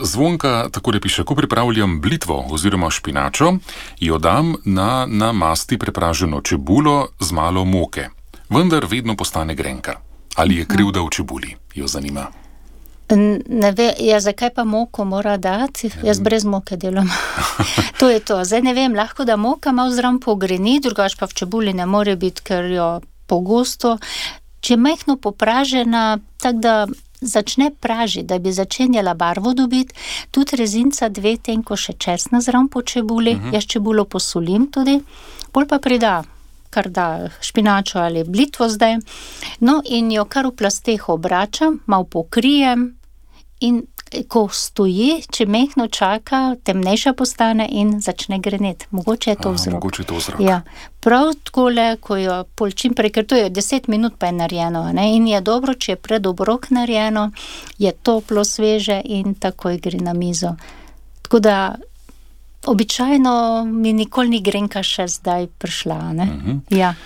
Zvonka takole piše, ko pripravljam blitvo oziroma špinačo, jo dam na masti prepraženo čebulo z malo moke. Vendar vedno postane grenka. Ali je krivda v čebuli, jo zanima. Ne ve, zakaj pa moko mora dati? Jaz brez moke delam. To je to. Zdaj ne vem, lahko da moka malo zraven pogreni, drugače pa v čebuli ne more biti, ker jo pogosto. Če je majhno popražena, tako da začne pražiti, da bi začenjala barvo dobiti, tudi rezinca 2 tenko še česna zraven po čebuli, jaz čebulo posolim tudi, pol pa prida, kar da špinačo ali blitvo zdaj, no in jo kar v plasteh obračam, malo pokrijem in ko stoji, če mehno čaka, temnejša postane in začne greneti. Mogoče je to vzrok. Mogoče je to vzrok. Ja. Prav takole, ko jo pol čim prej, ker to je 10 minut pa je narejeno, ne? In je dobro, če je pred obrok narejeno, je toplo, sveže in takoj gre na mizo. Tako da običajno mi nikoli ni grenka še zdaj prišla, ne? Ja.